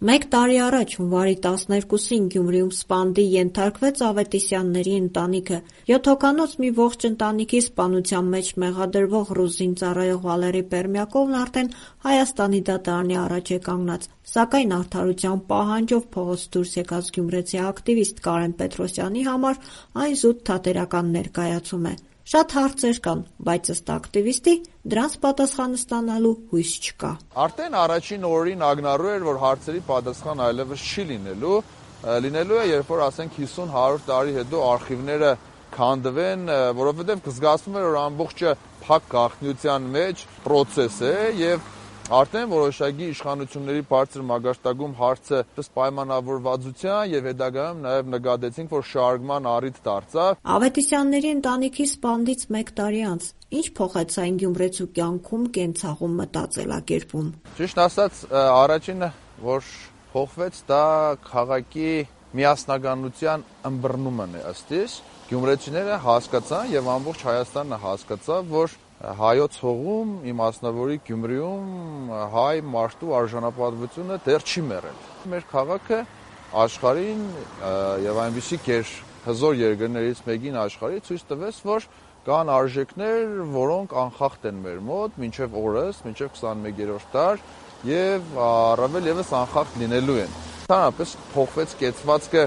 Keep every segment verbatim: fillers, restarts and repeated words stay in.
Մեկ տարի առաջ հունվարի տասներկուսին Գյումրիում սպանդի ենթարկվեց Ավետիսյանների ընտանիքը։ Յոթ հոգանոց մի ողջ ընտանիքի սպանության մեջ մեղադրվող ռուս զինծառայող Վալերի Պերմյակովն արդեն Հայաստանի դատարանի առաջ է կանգնած, սակայն արդարության պահանջով փողոց դուրս եկած գյումրեցի ակտիվիստ Կարեն Պետրոսյանի համար այն զուտ թատերական ներկայացում է։ Շատ հարցեր կան, բայց ըստ ակտիվիստի դրանց պատասխանը ստանալու հույս չկա։ Արդեն առաջին օրերին ակնառու էր, որ հարցերի պատասխան այլևս չի լինելու, լինելու է, երբ որ ասենք հիսուն-հարյուր տարի հետո արխիվները քանդվեն, որովհետև զգացվում է, որ ամբողջը փակ գաղտնիության մեջ process է եւ արդեն որոշակի իշխանությունների բարձր մագարտակում հարցը պայմանավորվածության եւ հետագայում նաեւ նկատեցինք, որ շարժման առիթ դարձավ։ Ավետիսյանների ընտանիքի սպանդից մեկ տարի անց ինչ փոխեց այն գյումրեցու կյանքում, կենցաղում, մտածելակերպում։ Ճիշտ ասած, առաջինը, որ փոխվեց, դա քաղաքի միասնականության ըմբռնումն է ըստ իս։ Գյումրեցիները հասկացան եւ ամբողջ Հայաստանը հասկացավ, որ հայոց հողում, իմ մասնավորի Գյումրիում հայ մարդու արժանապատվությունը դեռ չի մեռել։ Մեր քաղաքը աշխարհին եւ այնպիսի հզոր երկրներից մեկին աշխարհի ցույց տվեց, որ կան արժեքներ, որոնք անխախտ են մեր մոտ մինչեւ օրս, մինչեւ քսանմեկերորդ դար եւ առավել եւս անխախտ լինելու են։ Ընդհանրապես փոխվեց կեցվածքը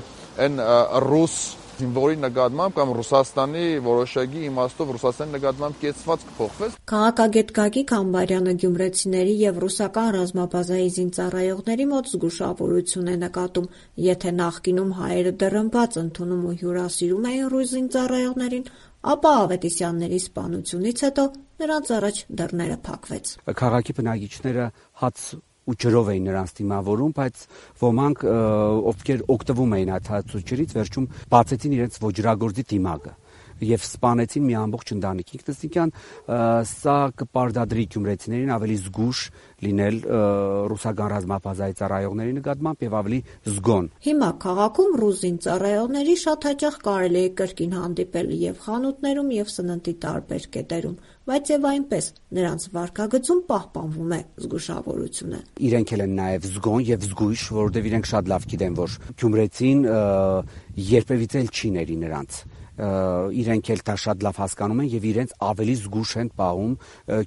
այն ռուս զինվորի նկատմամբ կամ Ռուսաստանի որոշակի իմաստով Ռուսաստանի նկատմամբ կեցվածք փոխվեց։ Քաղաքագետ Գագիկ Համբարյանը գյումրեցիների եւ ռուսական ռազմաբազայի զինծառայողների մոտ զգուշավորություն է նկատում։ Եթե նախկինում հայերը դռնբաց ընդունում ու հյուրասիրում էին ռուս զինծառայողներին, ապա Ավետիսյանների սպանությունից հետո նրանց առաջ դռները փակվեց։ Քաղաքի բնակիչները հաց ու ջրով էին նրանց դիմավորում, բայց ոմանք, ովքեր օգտվում էին այդ հացուճերից, վերջում բացեցին իրենց ոճրագործի դիմակը եւ սպանեցին մի ամբողջ ընտանիք։ Ինքնըստինքյան սա կպարտադրի գյումրեցիներին ավելի զգուշ լինել ռուսական ռազմաբազայի ծառայողների նկատմամբ եւ ավելի զգոն։ Հիմա քաղաքում ռուս զինծառայողների շատ հաճախ կարելի է կրկին հանդիպել եւ խանութներում եւ սննդի տարբեր կետերում, բայց եւ այնպես նրանց վարքագծում պահպանվում է զգուշավորությունը։ Իրենք էլ են նաեւ զգոն եւ զգույշ, որովհետեւ իրենք շատ լավ գիտեն, որ գյումրեցին երբևիցե չի ների նրանց։ Իրենք էլ դա շատ լավ հասկանում են եւ իրենց ավելի զգուշ են պահում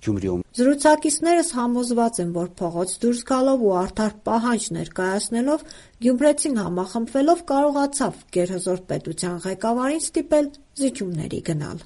Գյումրիում։ Զրուցակիցներս համոզված են, որ փողոց դուրս գալով ու արդար պահանջ ներկայացնելով գյումրեցին համախմբվելով կարողացավ գերհզոր պետության ղեկավարին ստիպել զիջումների գնալ։